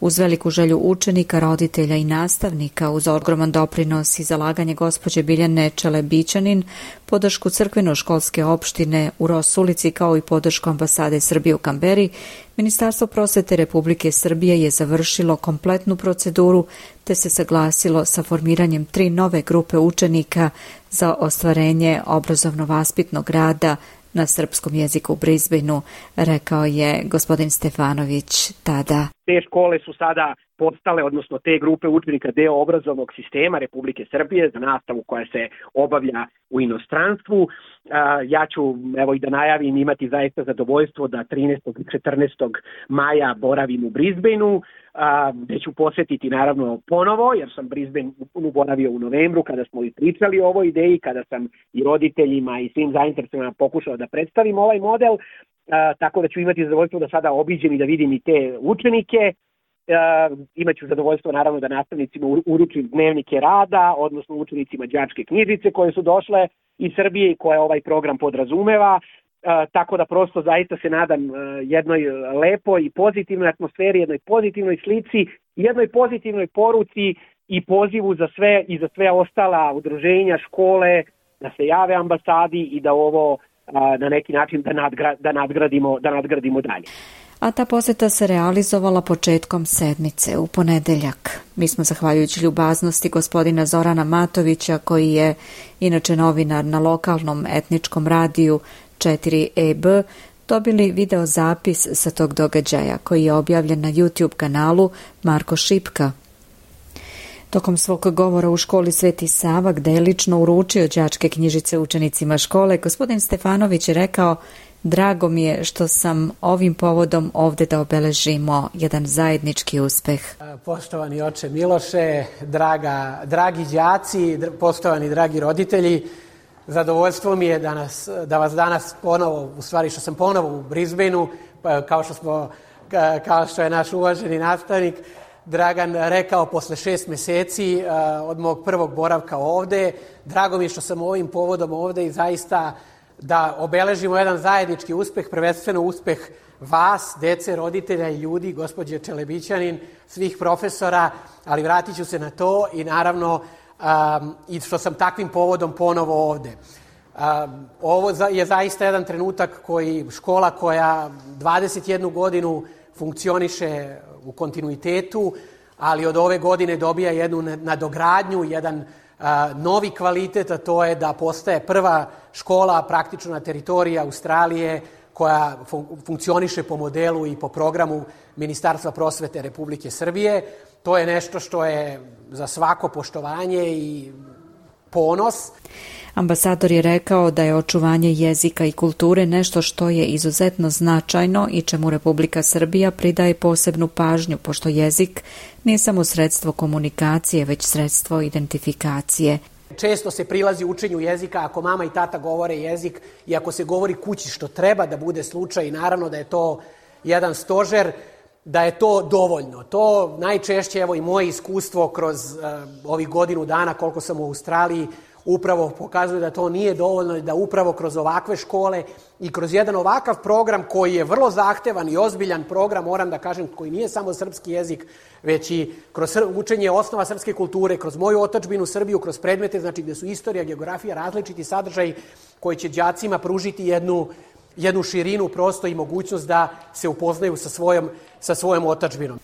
Uz veliku želju učenika, roditelja i nastavnika, uz ogroman doprinos i zalaganje gospođe Biljane Čelebićanin, podršku crkveno-školske opštine u Rosulici kao i podršku ambasade Srbije u Kamberi, Ministarstvo prosvete Republike Srbije je završilo kompletnu proceduru te se saglasilo sa formiranjem 3 nove grupe učenika za ostvarenje obrazovno-vaspitnog rada na srpskom jeziku u Brisbaneu, rekao je gospodin Stefanović tada. Te škole su sada postale, odnosno te grupe učenika, deo obrazovnog sistema Republike Srbije za nastavu koja se obavlja u inostranstvu. Ja ću, evo i da najavim, imati zaista zadovoljstvo da 13. i 14. maja boravim u Brisbaneu, gde ću posjetiti naravno ponovo, jer sam Brisbane boravio u novembru kada smo i pričali o ovoj ideji, kada sam i roditeljima i svim zainteresovanima pokušao da predstavim ovaj model, tako da ću imati zadovoljstvo da sada obiđem i da vidim i te učenike. Imaću zadovoljstvo naravno da nastavnicima uručim dnevnike rada, odnosno učenicima đačke knjižice koje su došle iz Srbije i koje ovaj program podrazumeva. Tako da prosto zaista se nadam jednoj lepoj i pozitivnoj atmosferi, jednoj pozitivnoj slici, jednoj pozitivnoj poruci i pozivu za sve i za sve ostala udruženja, škole, da se jave ambasadi i da ovo na neki način da nadgradimo dalje. A ta posjeta se realizovala početkom sedmice, u ponedeljak. Mi smo, zahvaljujući ljubaznosti gospodina Zorana Matovića, koji je inače novinar na lokalnom etničkom radiju 4EB, dobili video zapis sa tog događaja, koji je objavljen na YouTube kanalu Marko Šipka. Tokom svog govora u školi Sveti Sava, gde je lično uručio đačke knjižice učenicima škole, gospodin Stefanović je rekao: drago mi je što sam ovim povodom ovdje da obeležimo jedan zajednički uspeh. Poštovani oče Miloše, dragi đaci, poštovani dragi roditelji, zadovoljstvo mi je da vas danas ponovo, u stvari što sam ponovo u Brisbaneu, kao što je naš uvaženi nastavnik Dragan rekao, posle 6 mjeseci od mog prvog boravka ovdje. Drago mi je što sam ovim povodom ovdje i zaista da obeležimo jedan zajednički uspeh, prvenstveno uspeh vas, dece, roditelja i ljudi, gospođe Čelebićanin, svih profesora, ali vratit ću se na to i naravno i što sam takvim povodom ponovo ovdje. Ovo je zaista jedan trenutak škola koja 21 godinu funkcioniše u kontinuitetu, ali od ove godine dobija jednu nadogradnju, jedan novi kvalitet, a to je da postaje prva škola praktično na teritoriji Australije koja funkcioniše po modelu i po programu Ministarstva prosvete Republike Srbije. To je nešto što je za svako poštovanje i ponos. Ambasador je rekao da je očuvanje jezika i kulture nešto što je izuzetno značajno i čemu Republika Srbija pridaje posebnu pažnju, pošto jezik nije samo sredstvo komunikacije, već sredstvo identifikacije. Često se prilazi učenju jezika ako mama i tata govore jezik i ako se govori kući, što treba da bude slučaj, i naravno da je to jedan stožer. da je to dovoljno. To najčešće, evo i moje iskustvo kroz ovih godinu dana koliko sam u Australiji, upravo pokazuje da to nije dovoljno i da upravo kroz ovakve škole i kroz jedan ovakav program koji je vrlo zahtevan i ozbiljan program, moram da kažem, koji nije samo srpski jezik, već i kroz učenje osnova srpske kulture, kroz moju otadžbinu Srbiju, kroz predmete, znači gde su istorija, geografija, različiti sadržaji koji će đacima pružiti jednu širinu prosto i mogućnost da se upoznaju sa svojom otadžbinom.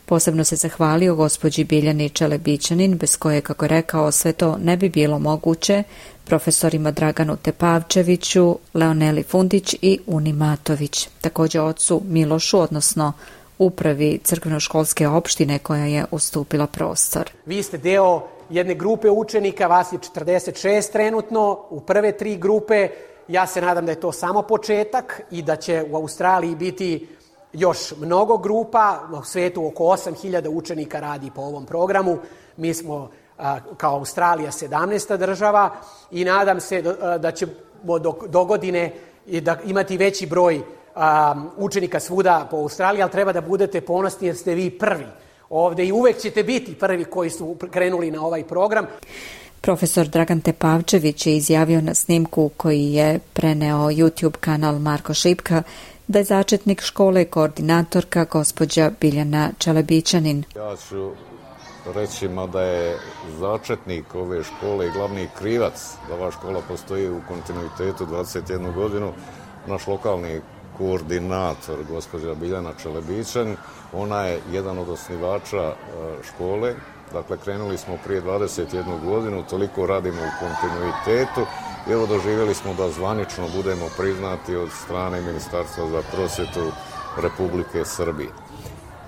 Posebno se zahvalio gospođi Biljani Čelebićanin, bez koje, kako je rekao, sve to ne bi bilo moguće, profesorima Draganu Tepavčeviću, Leoneli Fundić i Uni Matović. Također ocu Milošu, odnosno upravi crkveno-školske opštine koja je ustupila prostor. Vi ste deo jedne grupe učenika, vas je 46 trenutno, u prve 3 grupe. Ja se nadam da je to samo početak i da će u Australiji biti još mnogo grupa. U svetu oko 8.000 učenika radi po ovom programu. Mi smo kao Australija 17. država i nadam se da ćemo do godine imati veći broj učenika svuda po Australiji, ali treba da budete ponosni jer ste vi prvi ovde i uvek ćete biti prvi koji su krenuli na ovaj program. Profesor Dragan Tepavčević je izjavio na snimku koji je preneo YouTube kanal Marko Šipka da je začetnik škole koordinatorka gospođa Biljana Čelebićanin. Ja ću reći da je začetnik ove škole i glavni krivac da ova škola postoji u kontinuitetu 21 godinu naš lokalni koordinator gospođa Biljana Čelebićanin. Ona je jedan od osnivača škole. Dakle, krenuli smo prije 21 godinu, toliko radimo u kontinuitetu i evo doživjeli smo da zvanično budemo priznati od strane Ministarstva za prosvjetu Republike Srbije.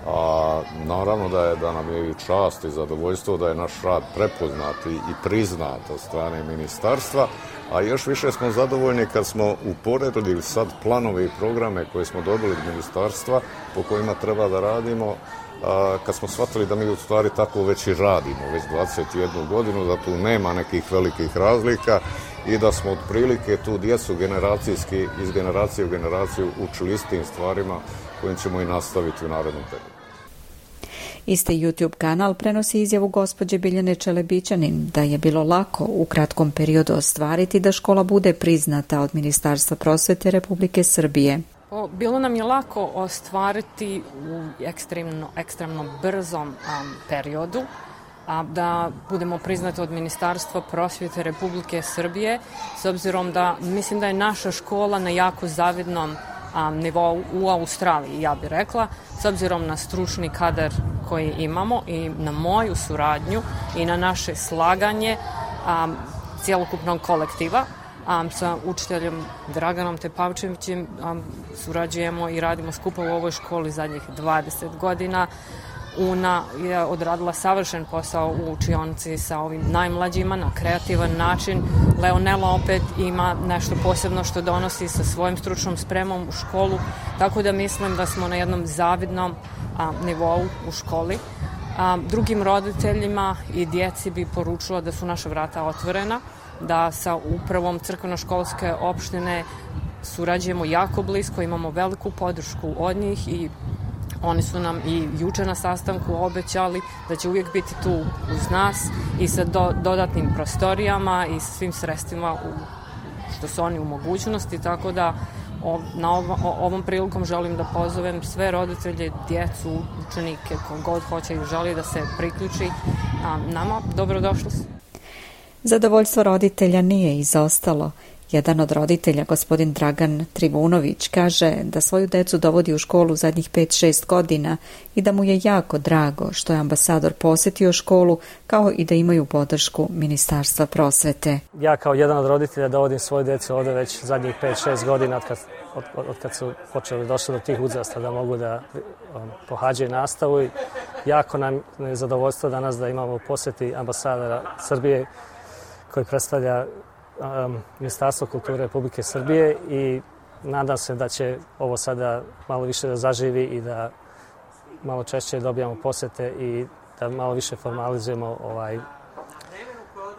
A naravno da nam je i čast i zadovoljstvo da je naš rad prepoznat i priznat od strane ministarstva, a još više smo zadovoljni kad smo uporedili sad planove i programe koje smo dobili od ministarstva po kojima treba da radimo, kad smo shvatili da mi u stvari tako već i radimo, već 21 godinu, da tu nema nekih velikih razlika i da smo otprilike tu djecu generacijski, iz generacije u generaciju učili istim stvarima kojim ćemo i nastaviti u narednom periodu. Isti YouTube kanal prenosi izjavu gospođe Biljane Čelebićanin da je bilo lako u kratkom periodu ostvariti da škola bude priznata od Ministarstva prosvete Republike Srbije. Bilo nam je lako ostvariti u ekstremno brzom periodu, da budemo priznati od Ministarstva prosvjete Republike Srbije, s obzirom da mislim da je naša škola na jako zavidnom nivou u Australiji, ja bih rekla, s obzirom na stručni kadar koji imamo i na moju suradnju i na naše slaganje cjelokupnog kolektiva. Sa učiteljem Draganom Tepavčevićem surađujemo i radimo skupa u ovoj školi zadnjih 20 godina. Una je odradila savršen posao u učionici sa ovim najmlađima na kreativan način. Leonela opet ima nešto posebno što donosi sa svojim stručnom spremom u školu, tako da mislim da smo na jednom zavidnom nivou u školi. Drugim roditeljima i djeci bi poručila da su naša vrata otvorena, da sa upravom crkveno-školske opštine surađujemo jako blisko, imamo veliku podršku od njih i oni su nam i juče na sastanku obećali da će uvijek biti tu uz nas i sa dodatnim prostorijama i svim sredstvima što su oni u mogućnosti, tako da ovom prilikom želim da pozovem sve roditelje, djecu, učenike, kogod hoće i želi da se priključi nama, dobrodošli su. Zadovoljstvo roditelja nije izostalo. Jedan od roditelja, gospodin Dragan Trivunović, kaže da svoju decu dovodi u školu zadnjih 5-6 godina i da mu je jako drago što je ambasador posjetio školu, kao i da imaju podršku Ministarstva prosvete. Ja kao jedan od roditelja dovodim svoju decu ovdje već zadnjih 5-6 godina od kad su došli do tih uzrasta da mogu da pohađaju nastavu. I jako nam je zadovoljstvo danas da imamo posjeti ambasadora Srbije koji predstavlja Ministarstvo kulture Republike Srbije i nadam se da će ovo sada malo više da zaživi i da malo češće dobijamo posjete i da malo više formalizujemo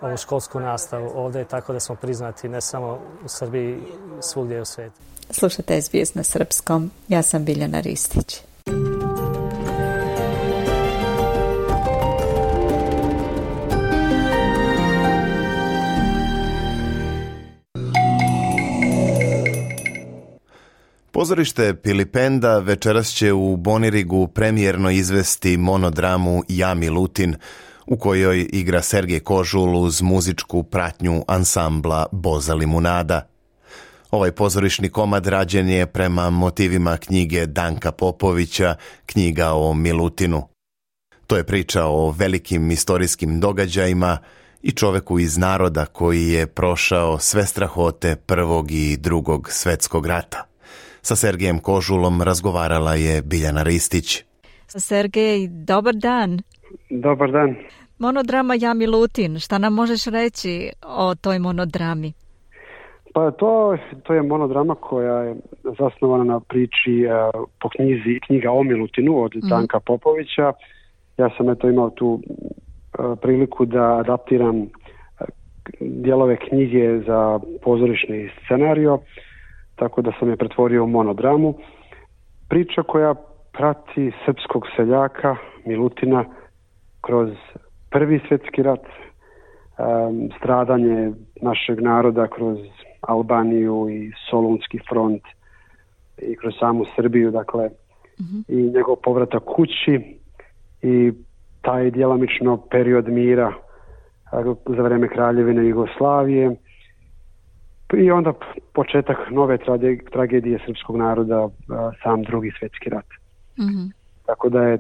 ovu školsku nastavu ovdje, tako da smo priznati ne samo u Srbiji, svugdje u svijetu. Slušate SBS na srpskom, ja sam Biljana Ristić. Pozorište Pilipenda večeras će u Bonirigu premijerno izvesti monodramu Ja Milutin, u kojoj igra Sergej Kožul uz muzičku pratnju ansambla Boza Limunada. Ovaj pozorišni komad rađen je prema motivima knjige Danka Popovića, Knjiga o Milutinu. To je priča o velikim istorijskim događajima i čoveku iz naroda koji je prošao sve strahote Prvog i Drugog svetskog rata. Sa Sergejem Kožulom razgovarala je Biljana Ristić. Sergej, dobar dan. Dobar dan. Monodrama Ja Milutin, šta nam možeš reći o toj monodrami? Pa to je monodrama koja je zasnovana na priči po knjiga o Milutinu od Danka Popovića. Ja sam imao tu priliku da adaptiram dijelove knjige za pozorišni scenario, tako da sam je pretvorio u monodramu. Priča koja prati srpskog seljaka Milutina kroz Prvi svjetski rat, stradanje našeg naroda kroz Albaniju i Solunski front i kroz samu Srbiju, dakle, i njegov povratak kući i taj djelomično period mira za vrijeme Kraljevine Jugoslavije i onda početak nove tragedije srpskog naroda, sam Drugi svjetski rat. Tako da je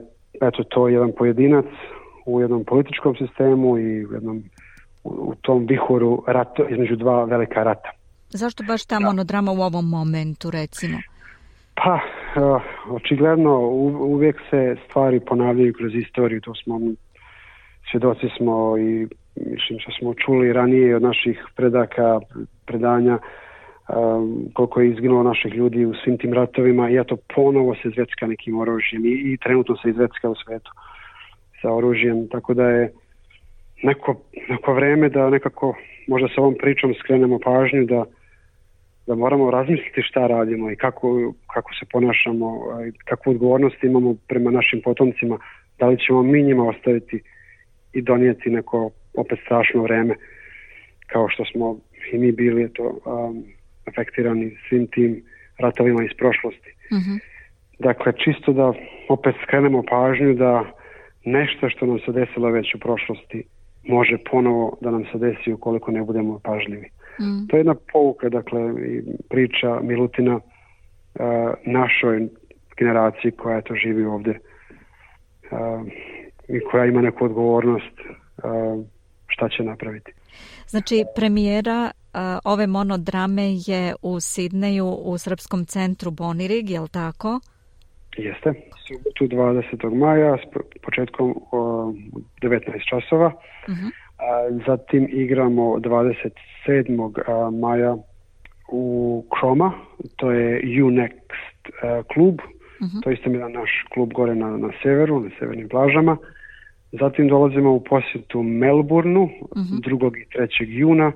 to jedan pojedinac u jednom političkom sistemu i u tom vihoru rata, između dva velika rata. Zašto baš ta monodrama u ovom momentu, recimo? Pa, očigledno uvijek se stvari ponavljaju kroz istoriju, to smo svjedoci smo i mislim što smo čuli ranije od naših predanja koliko je izginulo naših ljudi u svim tim ratovima i ponovo se zvecka nekim oružjem i trenutno se izvecka u svetu sa oružjem, tako da je neko vreme da nekako možda sa ovom pričom skrenemo pažnju da moramo razmisliti šta radimo i kako se ponašamo, kakvu odgovornost imamo prema našim potomcima, da li ćemo mi njima ostaviti i donijeti neko opet strašno vreme kao što smo i mi bili afektirani svim tim ratovima iz prošlosti. Dakle, čisto da opet skrenemo pažnju da nešto što nam se desilo već u prošlosti može ponovo da nam se desi ukoliko ne budemo pažljivi. To je jedna pouka, dakle, i priča Milutina našoj generaciji koja to živi ovdje i koja ima neku odgovornost šta će napraviti. Znači, premijera ove monodrame je u Sidneju u Srpskom centru Bonirig, je li tako? Jeste. Subotu 20. maja s početkom 19 časova. Zatim igramo 27. maja u Kroma, to je U-Next klub. To je isto jedan naš klub gore na severu, na severnim plažama. Zatim dolazimo u posjetu Melbourneu 2. i 3. juna.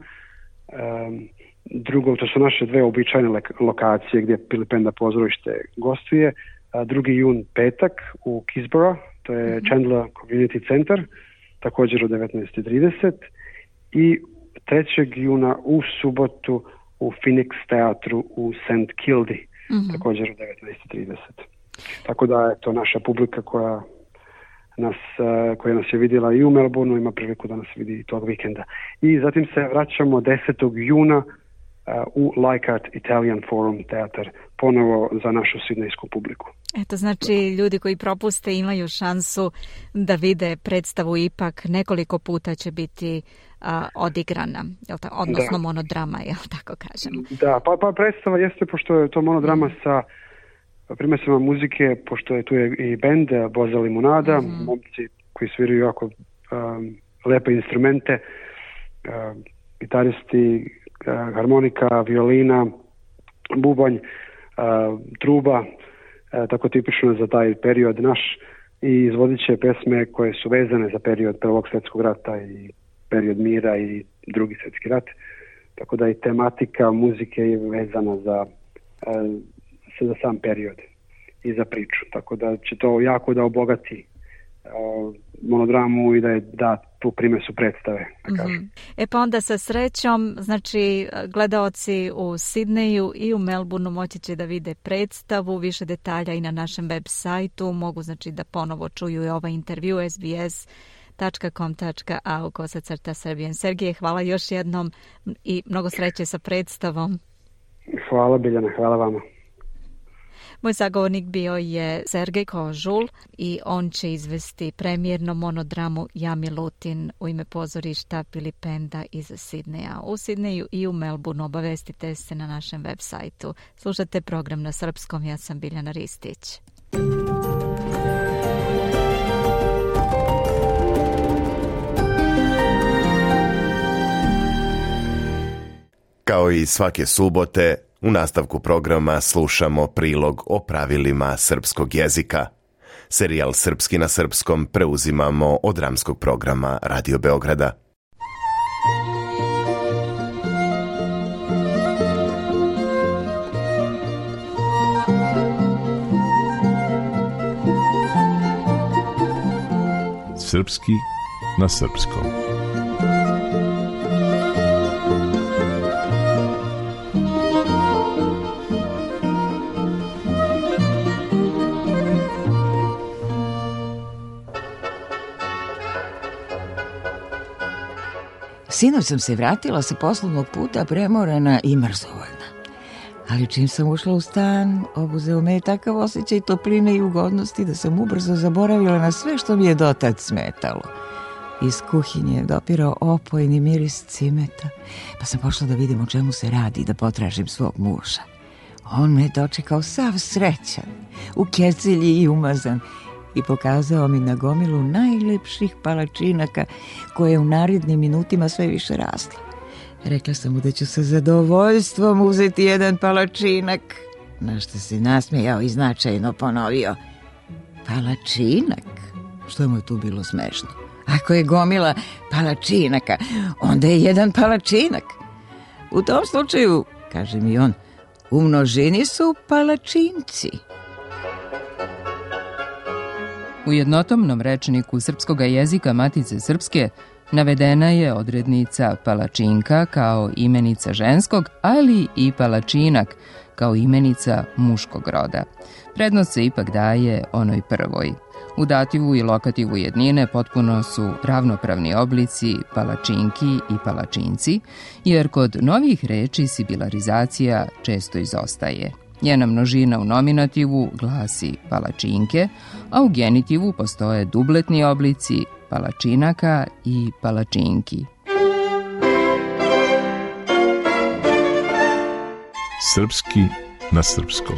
To su naše dve običajne lokacije gdje Pilipenda pozorište gostuje. 2. jun petak u Kisborough, to je Chandler Community Center, također u 19:30 i 3. juna u subotu u Phoenix teatru u St. Kilda, također u 19:30. Tako da je to naša publika koja nas je vidjela i u Melbourneu, ima priliku da nas vidi i tog vikenda. I zatim se vraćamo 10. juna u Leichhardt Italian Forum teatar, ponovo za našu sidnejsku publiku. Eto, znači ljudi koji propuste imaju šansu da vide predstavu, ipak nekoliko puta će biti odigrana, odnosno monodrama, jel tako kažemo? Da, pa predstava jeste, pošto je to monodrama sa primesama muzike, pošto je tu i bend Boza Limunada, momci koji sviraju jako lepe instrumente, gitaristi, harmonika, violina, bubanj, truba, tako tipično za taj period naš, i izvodit će pesme koje su vezane za period Prvog svjetskog rata i period mira i Drugi svjetski rat, tako da i tematika muzike je vezana za sam period i za priču, tako da će to jako da obogati monodramu i da je da tu primesu predstave. Pa onda sa srećom, znači gledaoci u Sidneju i u Melbourneu moći će da vide predstavu, više detalja i na našem web sajtu, mogu znači da ponovo čuju i ovaj intervju sbs.com.au/Serbian. Sergije, hvala još jednom i mnogo sreće sa predstavom. Hvala Biljana, hvala vama. Moj sagovornik bio je Sergej Kožul i on će izvesti premijernu monodramu Ja Milutin u ime pozorišta Filipenda iz Sidneja. U Sidneju i u Melbourneu obavestite se na našem web sajtu. Slušate program na srpskom, ja sam Biljana Ristić. Kao i svake subote, u nastavku programa slušamo prilog o pravilima srpskog jezika. Serijal Srpski na srpskom preuzimamo od dramskog programa Radio Beograda. Srpski na srpskom. Sinoć sam se vratila sa poslovnog puta premorena i mrzovoljna. Ali čim sam ušla u stan, obuzeo me je takav osjećaj topline i ugodnosti da sam ubrzo zaboravila na sve što mi je dotad smetalo. Iz kuhinje je dopirao opojni miris cimeta, pa sam pošla da vidim o čemu se radi, da potražim svog muža. On me je dočekao sav srećan, u kecilji i umazan, i pokazao mi na gomilu najlepših palačinaka koje je u narednim minutima sve više rasla. Rekla sam mu da ću sa zadovoljstvom uzeti jedan palačinak, na što se nasmejao i značajno ponovio: palačinak? Što mu je tu bilo smešno? Ako je gomila palačinaka, onda je jedan palačinak. U tom slučaju, kaže mi on, u množini su palačinci. U jednotomnom rečniku srpskog jezika Matice Srpske navedena je odrednica palačinka kao imenica ženskog, ali i palačinak kao imenica muškog roda. Prednost se ipak daje onoj prvoj. U dativu i lokativu jednine potpuno su ravnopravni oblici palačinki i palačinci, jer kod novih reči sibilarizacija često izostaje. Njena množina u nominativu glasi palačinke, a u genitivu postoje dubletni oblici palačinaka i palačinki. Srpski na srpskom.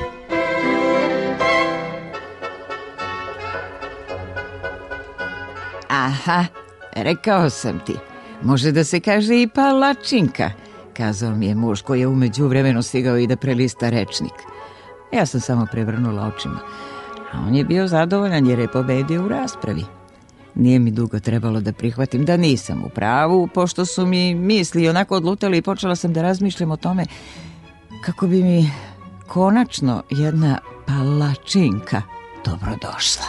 Aha, rekao sam ti, može da se kaže i palačinka, kazao mi je muž koji je umeđu vremenu stigao i da prelista rečnik. Ja sam samo prevrnula očima, a on je bio zadovoljan jer je pobedio u raspravi. Nije mi dugo trebalo da prihvatim da nisam u pravu, pošto su mi misli onako odlutali i počela sam da razmišljam o tome kako bi mi konačno jedna palačinka dobrodošla.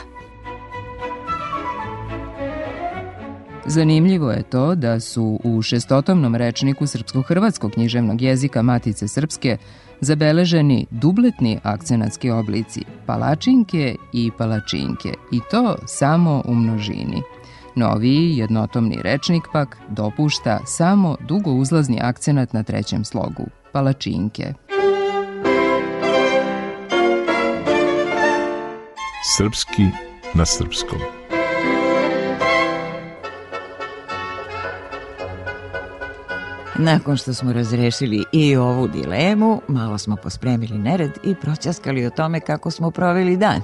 Zanimljivo je to da su u šestotomnom rečniku srpsko-hrvatskog književnog jezika Matice Srpske zabeleženi dubletni akcenatski oblici palačinke i palačinke, i to samo u množini. Noviji jednotomni rečnik pak dopušta samo dugouzlazni akcenat na trećem slogu, palačinke. Srpski na srpskom. Nakon što smo razrešili i ovu dilemu, malo smo pospremili nered i proćaskali o tome kako smo proveli dan.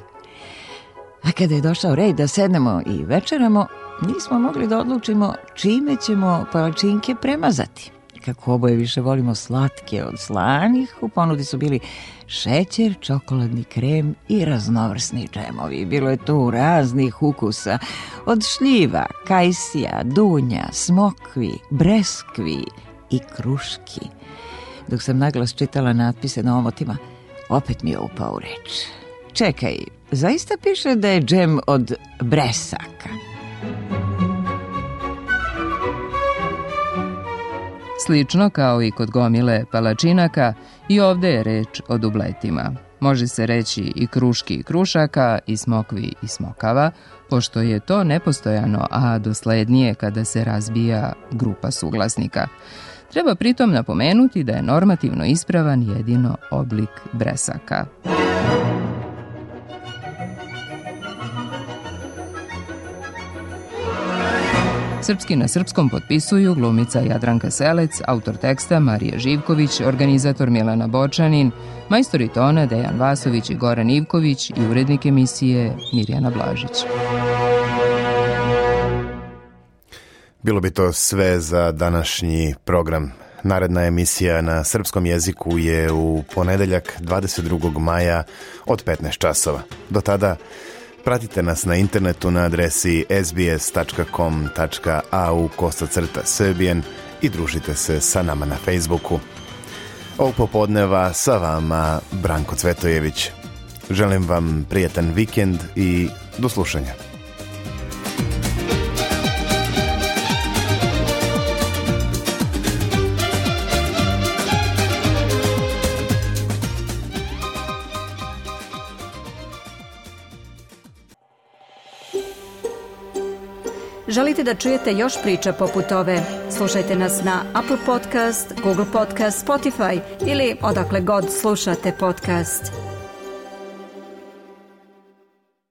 A kada je došao red da sednemo i večeramo, nismo mogli da odlučimo čime ćemo palačinke premazati. Kako oboje više volimo slatke od slanih, u ponudi su bili šećer, čokoladni krem i raznovrsni džemovi. Bilo je tu raznih ukusa, od šljiva, kajsija, dunja, smokvi, breskvi i kruški. Dok sam naglas čitala natpise na omotima, opet mi je upao u reč. Čekaj, zaista piše da je džem od bresaka. Slično kao i kod gomile palačinaka, i ovde je reč o dubletima. Može se reći i kruški i krušaka, i smokvi i smokava, pošto je to nepostojano, a doslednije kada se razbija grupa suglasnika. Treba pritom napomenuti da je normativno ispravan jedino oblik bresaka. Srpski na srpskom potpisuju glumica Jadranka Selec, autor teksta Marija Živković, organizator Milana Bočanin, majstori tona Dejan Vasović i Goran Ivković i urednik emisije Mirjana Blažić. Bilo bi to sve za današnji program. Naredna emisija na srpskom jeziku je u ponedeljak 22. maja od 15 časova. Do tada pratite nas na internetu na adresi sbs.com.au/Serbian i družite se sa nama na Facebooku. Ovog popodneva sa vama Branko Cvetojević. Želim vam prijetan vikend i do slušanja. Želite da čujete još priča poput ove? Slušajte nas na Apple Podcast, Google Podcast, Spotify ili odakle god slušate podcast.